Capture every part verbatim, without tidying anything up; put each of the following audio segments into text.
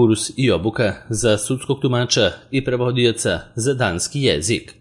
kurs i obuka za sudskog tumača i prevodioca za danski jezik.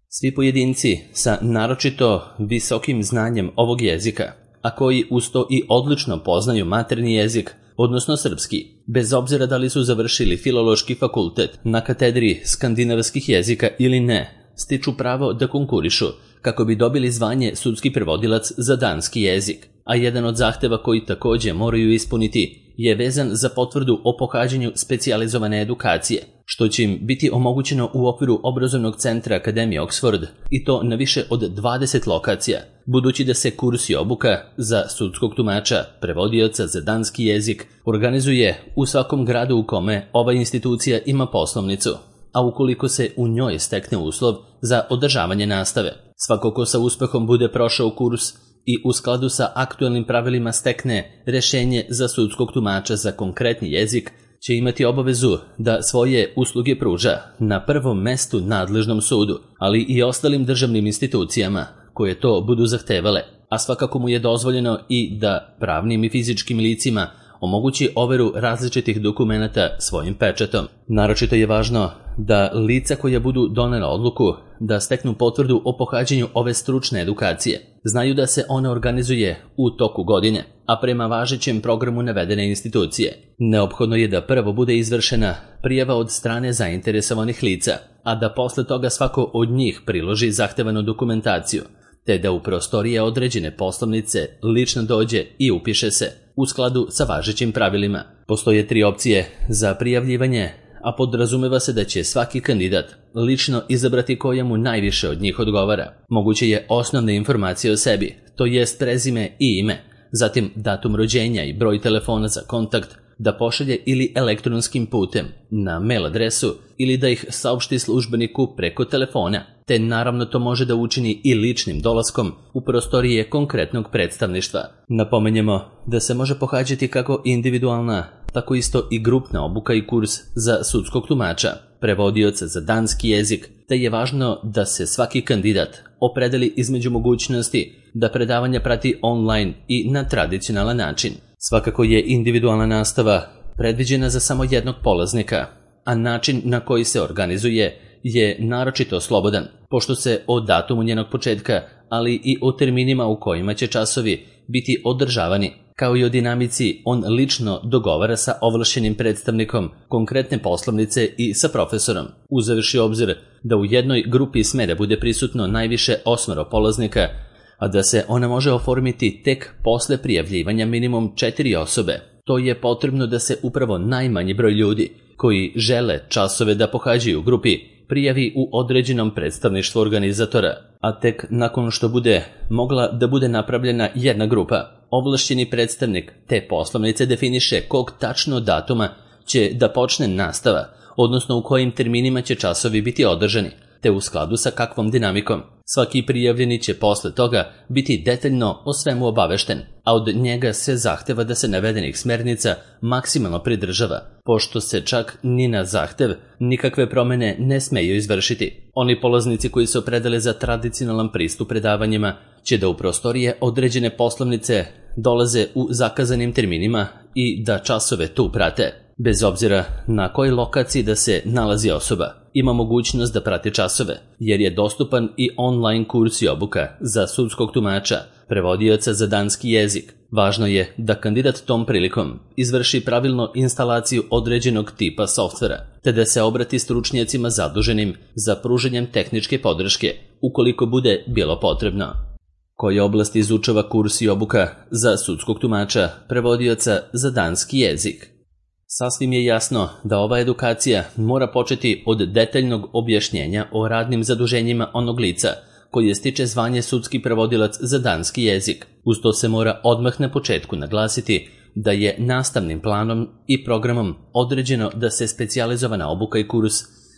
Svi pojedinci sa naročito visokim znanjem ovog jezika, a koji uz to i odlično poznaju maternji jezik, odnosno srpski, bez obzira da li su završili filološki fakultet na katedri skandinavskih jezika ili ne, stiču pravo da konkurišu kako bi dobili zvanje sudski prevodilac za danski jezik, a jedan od zahteva koji takođe moraju ispuniti je vezan za potvrdu o pohađanju specijalizovane edukacije, što će im biti omogućeno u okviru obrazovnog centra Akademije Oxford, i to na više od dvadeset lokacija, budući da se kurs i obuka za sudskog tumača, prevodioca za danski jezik, organizuje u svakom gradu u kome ova institucija ima poslovnicu, a ukoliko se u njoj stekne uslov za održavanje nastave. Svako ko sa uspehom bude prošao kurs i u skladu sa aktuelnim pravilima stekne rešenje za sudskog tumača za konkretni jezik, će imati obavezu da svoje usluge pruža na prvom mestu nadležnom sudu, ali i ostalim državnim institucijama koje to budu zahtevale, a svakako mu je dozvoljeno i da pravnim i fizičkim licima omogući overu različitih dokumenata svojim pečatom. Naročito je važno da lica koja budu donela odluku da steknu potvrdu o pohađanju ove stručne edukacije znaju da se ona organizuje u toku godine, a prema važećem programu navedene institucije. Neophodno je da prvo bude izvršena prijava od strane zainteresovanih lica, a da posle toga svako od njih priloži zahtevanu dokumentaciju, te da u prostorije određene poslovnice lično dođe i upiše se u skladu sa važećim pravilima. Postoje tri opcije za prijavljivanje, a podrazumeva se da će svaki kandidat lično izabrati koja mu najviše od njih odgovara. Moguće je osnovne informacije o sebi, to jest prezime i ime, zatim datum rođenja i broj telefona za kontakt, da pošalje ili elektronskim putem na mail adresu ili da ih saopšti službeniku preko telefona, te naravno to može da učini i ličnim dolaskom u prostorije konkretnog predstavništva. Napomenjemo da se može pohađati kako individualna, tako isto i grupna obuka i kurs za sudskog tumača, prevodioca za danski jezik, te je važno da se svaki kandidat opredeli između mogućnosti da predavanja prati online i na tradicionalan način. Svakako je individualna nastava predviđena za samo jednog polaznika, a način na koji se organizuje je naročito slobodan, pošto se o datumu njenog početka, ali i o terminima u kojima će časovi biti održavani, kao i o dinamici, on lično dogovara sa ovlašćenim predstavnikom konkretne poslovnice i sa profesorom, uzevši obzir da u jednoj grupi sme da bude prisutno najviše osmoro polaznika, a da se ona može oformiti tek posle prijavljivanja minimum četiri osobe. To je potrebno da se upravo najmanji broj ljudi koji žele časove da pohađaju u grupi prijavi u određenom predstavništvu organizatora, a tek nakon što bude mogla da bude napravljena jedna grupa, ovlašćeni predstavnik te poslovnice definiše kog tačno datuma će da počne nastava, odnosno u kojim terminima će časovi biti održani, te u skladu sa kakvom dinamikom. Svaki prijavljeni će posle toga biti detaljno o svemu obavešten, a od njega se zahteva da se navedenih smernica maksimalno pridržava, pošto se čak ni na zahtev nikakve promene ne smeju izvršiti. Oni polaznici koji se opredele za tradicionalan pristup predavanjima će da u prostorije određene poslovnice dolaze u zakazanim terminima i da časove tu prate. Bez obzira na kojoj lokaciji da se nalazi osoba, ima mogućnost da prati časove, jer je dostupan i online kurs i obuka za sudskog tumača, prevodioca za danski jezik. Važno je da kandidat tom prilikom izvrši pravilno instalaciju određenog tipa softvera, te da se obrati stručnjacima zaduženim za pružanjem tehničke podrške, ukoliko bude bilo potrebno. Koje oblasti izučava kurs i obuka za sudskog tumača, prevodioca za danski jezik? Sasvim je jasno da ova edukacija mora početi od detaljnog objašnjenja o radnim zaduženjima onog lica koji stiče zvanje sudski prevodilac za danski jezik. Uz to se mora odmah na početku naglasiti da je nastavnim planom i programom određeno da se specijalizovana obuka i kurs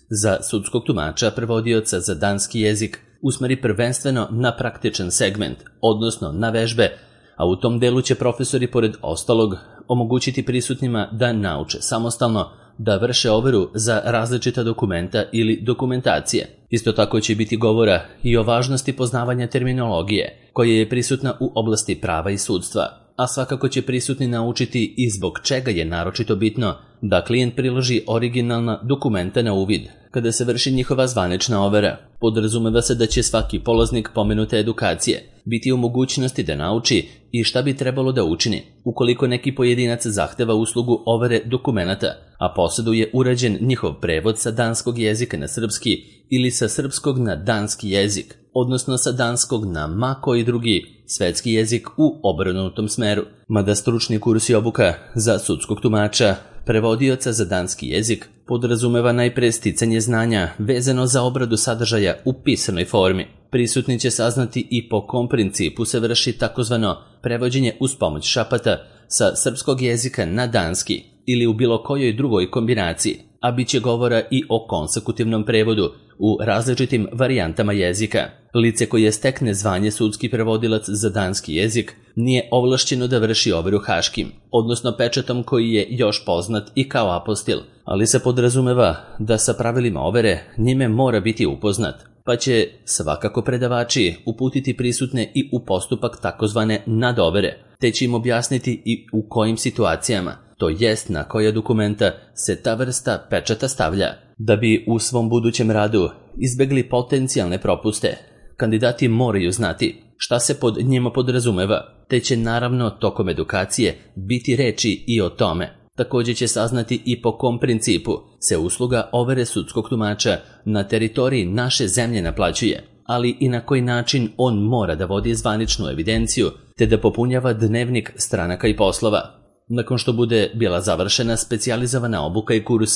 za sudskog tumača, prevodioca za danski jezik usmeri prvenstveno na praktičan segment, odnosno na vežbe, a u tom delu će profesori pored ostalog omogućiti prisutnima da nauče samostalno da vrše overu za različita dokumenta ili dokumentacije. Isto tako će biti govora i o važnosti poznavanja terminologije koja je prisutna u oblasti prava i sudstva. a svakako će prisutni naučiti i zbog čega je naročito bitno da klijent priloži originalna dokumenta na uvid kada se vrši njihova zvanična overa. Podrazumeva se da će svaki polaznik pomenute edukacije biti u mogućnosti da nauči i šta bi trebalo da učini ukoliko neki pojedinac zahteva uslugu overe dokumenata, a posjeduje urađen njihov prevod sa danskog jezika na srpski ili sa srpskog na danski jezik, odnosno sa danskog na ma koji drugi svetski jezik u obrnutom smeru. Mada stručni kurs i obuka za sudskog tumača, prevodioca za danski jezik, podrazumeva najpre sticanje znanja vezano za obradu sadržaja u pisanoj formi. Prisutni će saznati i po kom principu se vrši takozvano prevođenje uz pomoć šapata sa srpskog jezika na danski ili u bilo kojoj drugoj kombinaciji, a bit će govora i o konsekutivnom prevodu u različitim varijantama jezika. Lice koje stekne zvanje sudski prevodilac za danski jezik nije ovlašćeno da vrši overu haškim, odnosno pečatom koji je još poznat i kao apostil, ali se podrazumeva da sa pravilima overe njime mora biti upoznat, pa će svakako predavači uputiti prisutne i u postupak takozvane nadovere, te će im objasniti i u kojim situacijama, to jest na koja dokumenta se ta vrsta pečata stavlja. Da bi u svom budućem radu izbegli potencijalne propuste, kandidati moraju znati šta se pod njima podrazumeva, te će naravno tokom edukacije biti reči i o tome. Također će saznati i po kom principu se usluga overe sudskog tumača na teritoriji naše zemlje naplaćuje, ali i na koji način on mora da vodi zvaničnu evidenciju te da popunjava dnevnik stranaka i poslova. Nakon što bude bila završena specijalizovana obuka i kurs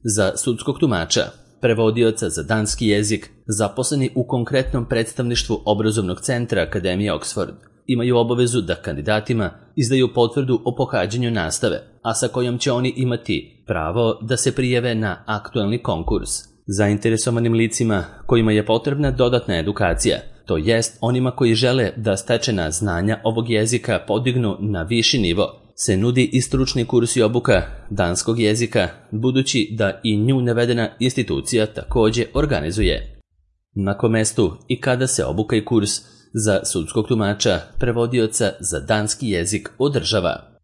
za sudskog tumača, prevodioca za danski jezik, zaposleni u konkretnom predstavništvu obrazovnog centra Akademije Oxford, imaju obavezu da kandidatima izdaju potvrdu o pohađanju nastave, a sa kojom će oni imati pravo da se prijave na aktuelni konkurs. Zainteresovanim licima kojima je potrebna dodatna edukacija, to jest onima koji žele da stečena znanja ovog jezika podignu na viši nivo, se nudi i stručni kurs i obuka danskog jezika, budući da i nju navedena institucija također organizuje. Na kom mestu i kada se obuka i kurs za sudskog tumača, prevodioca za danski jezik održava?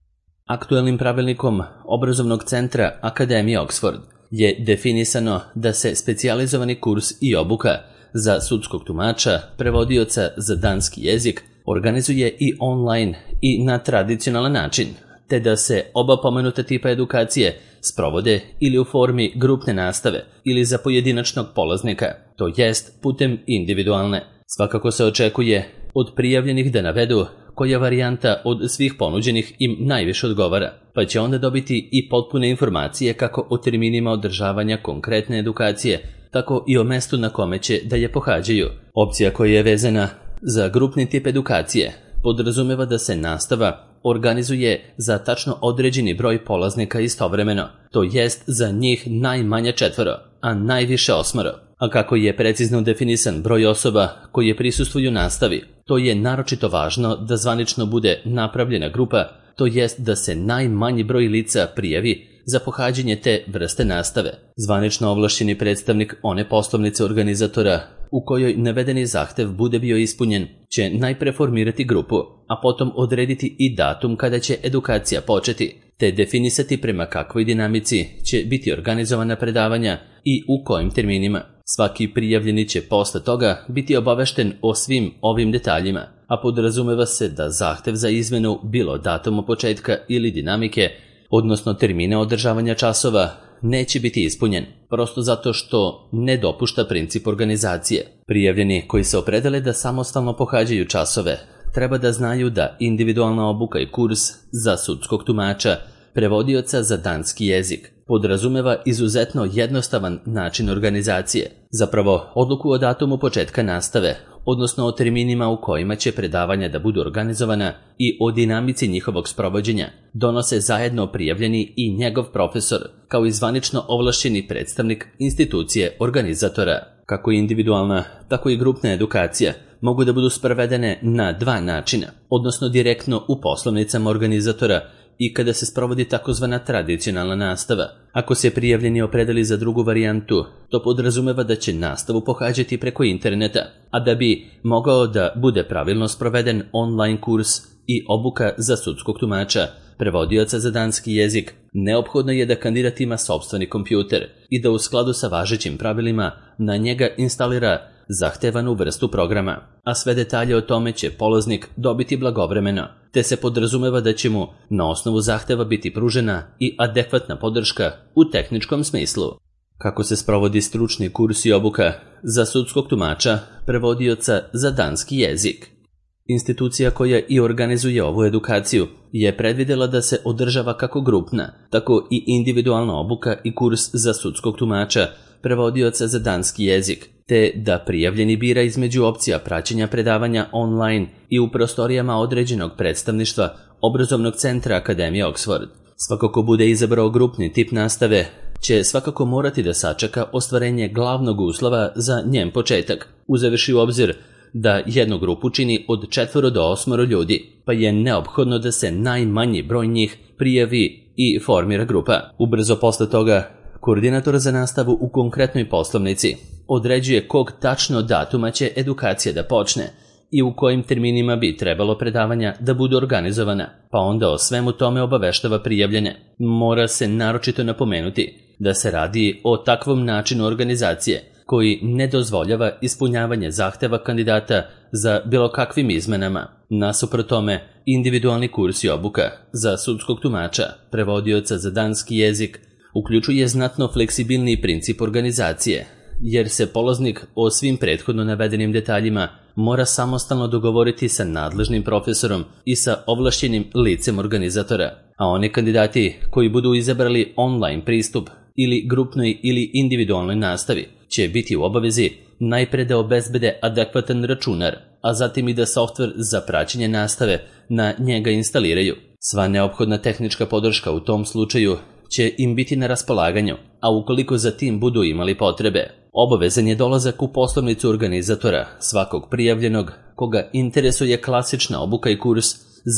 Aktuelnim pravilnikom obrazovnog centra Akademije Oxford je definisano da se specijalizovani kurs i obuka za sudskog tumača, prevodioca za danski jezik organizuje i online i na tradicionalan način, te da se oba pomenuta tipa edukacije sprovode ili u formi grupne nastave ili za pojedinačnog polaznika, to jest putem individualne. Svakako se očekuje od prijavljenih da navedu koja varijanta od svih ponuđenih im najviše odgovara, pa će onda dobiti i potpune informacije kako o terminima održavanja konkretne edukacije, tako i o mestu na kome će da je pohađaju. Opcija koja je vezana za grupni tip edukacije podrazumeva da se nastava organizuje za tačno određeni broj polaznika istovremeno, to jest za njih najmanje četvoro, a najviše osmoro. A kako je precizno definisan broj osoba koje prisustvuju nastavi, to je naročito važno da zvanično bude napravljena grupa, to jest da se najmanji broj lica prijavi za pohađanje te vrste nastave. Zvanično ovlašćeni predstavnik one poslovnice organizatora u kojoj navedeni zahtev bude bio ispunjen će najpre formirati grupu, a potom odrediti i datum kada će edukacija početi, te definisati prema kakvoj dinamici će biti organizovana predavanja i u kojim terminima. Svaki prijavljeni će posle toga biti obavešten o svim ovim detaljima, a podrazumeva se da zahtev za izmenu bilo datuma početka ili dinamike, odnosno termine održavanja časova, neće biti ispunjen, prosto zato što ne dopušta princip organizacije. Prijavljeni koji se opredele da samostalno pohađaju časove, treba da znaju da individualna obuka i kurs za sudskog tumača, prevodioca za danski jezik, podrazumeva izuzetno jednostavan način organizacije. Zapravo, odluku o datumu početka nastave, odnosno o terminima u kojima će predavanja da budu organizovana i o dinamici njihovog sprovođenja, donose zajedno prijavljeni i njegov profesor, kao i zvanično ovlašćeni predstavnik institucije organizatora. Kako individualna, tako i grupna edukacija mogu da budu sprovedene na dva načina, odnosno direktno u poslovnicama organizatora i kada se sprovodi takozvana tradicionalna nastava. Ako se prijavljeni opredeli za drugu varijantu, to podrazumeva da će nastavu pohađati preko interneta, a da bi mogao da bude pravilno sproveden online kurs i obuka za sudskog tumača, prevodioca za danski jezik, neophodno je da kandidat ima sopstveni kompjuter i da u skladu sa važećim pravilima na njega instalira zahtevanu vrstu programa, a sve detalje o tome će polaznik dobiti blagovremeno, te se podrazumeva da će mu na osnovu zahteva biti pružena i adekvatna podrška u tehničkom smislu. Kako se sprovodi stručni kurs i obuka za sudskog tumača, prevodioca za danski jezik? Institucija koja i organizuje ovu edukaciju je predvidela da se održava kako grupna, tako i individualna obuka i kurs za sudskog tumača, prevodioca za danski jezik, te da prijavljeni bira između opcija praćenja predavanja online i u prostorijama određenog predstavništva obrazovnog centra Akademije Oxford. Svako ko bude izabrao grupni tip nastave će svakako morati da sačeka ostvarenje glavnog uslova za njen početak, uzevši u obzir da jednu grupu čini od četvoro do osmoro ljudi, pa je neophodno da se najmanji broj njih prijavi i formira grupa. Ubrzo posle toga, koordinator za nastavu u konkretnoj poslovnici određuje kog tačno datuma će edukacija da počne i u kojim terminima bi trebalo predavanja da budu organizovana, pa onda o svemu tome obaveštava prijavljene. Mora se naročito napomenuti da se radi o takvom načinu organizacije koji ne dozvoljava ispunjavanje zahteva kandidata za bilo kakvim izmenama. Nasuprot tome, individualni kurs i obuka za sudskog tumača, prevodioca za danski jezik, uključuje znatno fleksibilniji princip organizacije, jer se polaznik o svim prethodno navedenim detaljima mora samostalno dogovoriti sa nadležnim profesorom i sa ovlašćenim licem organizatora, a oni kandidati koji budu izabrali online pristup ili grupnoj ili individualnoj nastavi će biti u obavezi najpre da obezbede adekvatan računar, a zatim i da softver za praćenje nastave na njega instaliraju. Sva neophodna tehnička podrška u tom slučaju će im biti na raspolaganju, a ukoliko za tim budu imali potrebe, obavezan je dolazak u poslovnicu organizatora svakog prijavljenog koga interesuje klasična obuka i kurs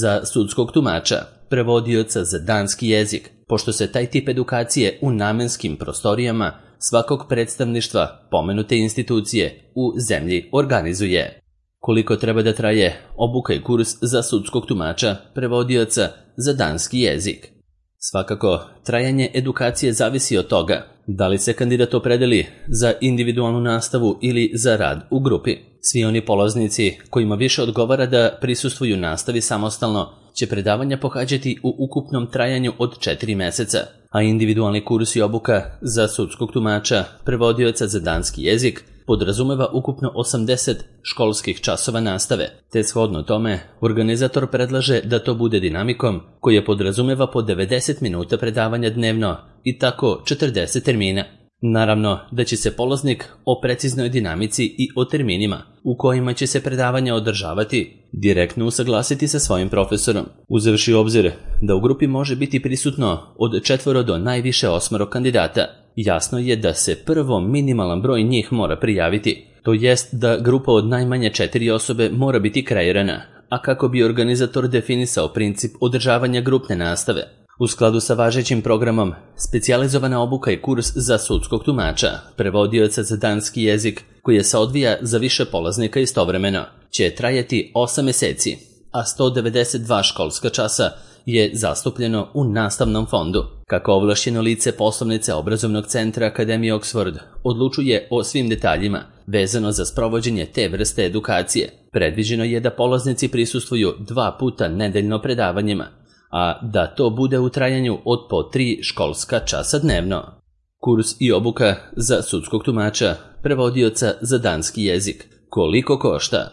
za sudskog tumača, prevodioca za danski jezik, pošto se taj tip edukacije u namenskim prostorijama svakog predstavništva pomenute institucije u zemlji organizuje. Koliko treba da traje obuka i kurs za sudskog tumača, prevodioca za danski jezik? Svakako, trajanje edukacije zavisi od toga da li se kandidat opredeli za individualnu nastavu ili za rad u grupi. Svi oni polaznici kojima više odgovara da prisustvuju nastavi samostalno će predavanja pohađati u ukupnom trajanju od četiri meseca, a individualni kurs i obuka za sudskog tumača, prevodioca za danski jezik podrazumeva ukupno osamdeset školskih časova nastave, te shodno tome organizator predlaže da to bude dinamikom koja podrazumeva po devedeset minuta predavanja dnevno i tako četrdeset termina. Naravno da će se polaznik o preciznoj dinamici i o terminima u kojima će se predavanja održavati direktno usaglasiti sa svojim profesorom, uzevši u obzir da u grupi može biti prisutno od četvoro do najviše osmoro kandidata. Jasno je da se prvo minimalan broj njih mora prijaviti, to jest da grupa od najmanje četiri osobe mora biti kreirana, a kako bi organizator definisao princip održavanja grupne nastave. U skladu sa važećim programom, specijalizovana obuka i kurs za sudskog tumača, prevodioca za danski jezik, koji se odvija za više polaznika istovremeno, će trajati osam meseci, a sto devedeset dva školska časa je zastupljeno u nastavnom fondu. Kako ovlašćeno lice poslovnice obrazovnog centra Akademije Oxford odlučuje o svim detaljima vezano za sprovođenje te vrste edukacije, predviđeno je da polaznici prisustvuju dva puta nedeljno predavanjima, a da to bude u trajanju od po tri školska časa dnevno. Kurs i obuka za sudskog tumača, prevodioca za danski jezik. Koliko košta?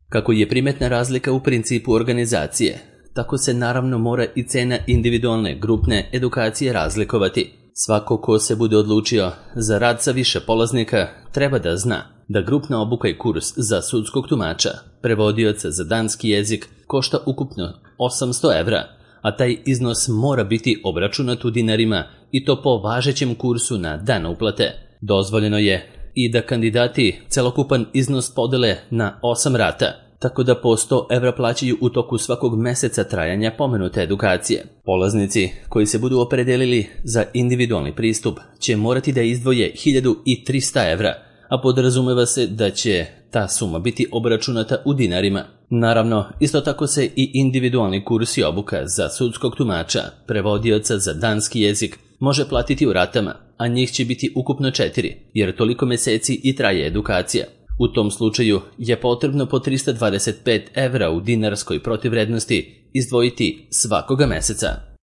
Kako je primetna razlika u principu organizacije, tako se naravno mora i cena individualne grupne edukacije razlikovati. Svako ko se bude odlučio za rad sa više polaznika treba da zna da grupna obuka i kurs za sudskog tumača, prevodioca za danski jezik košta ukupno osamsto evra, a taj iznos mora biti obračunat u dinarima i to po važećem kursu na dan uplate. Dozvoljeno je i da kandidati celokupan iznos podele na osam rata, tako da po sto evra plaćaju u toku svakog meseca trajanja pomenute edukacije. Polaznici koji se budu opredelili za individualni pristup će morati da izdvoje hiljadu trista evra, a podrazumeva se da će ta suma biti obračunata u dinarima. Naravno, isto tako se i individualni kurs i obuka za sudskog tumača, prevodioca za danski jezik, može platiti u ratama, a njih će biti ukupno četiri, jer toliko meseci i traje edukacija. U tom slučaju je potrebno po trista dvadeset pet evra u dinarskoj protivrednosti izdvojiti svakoga meseca.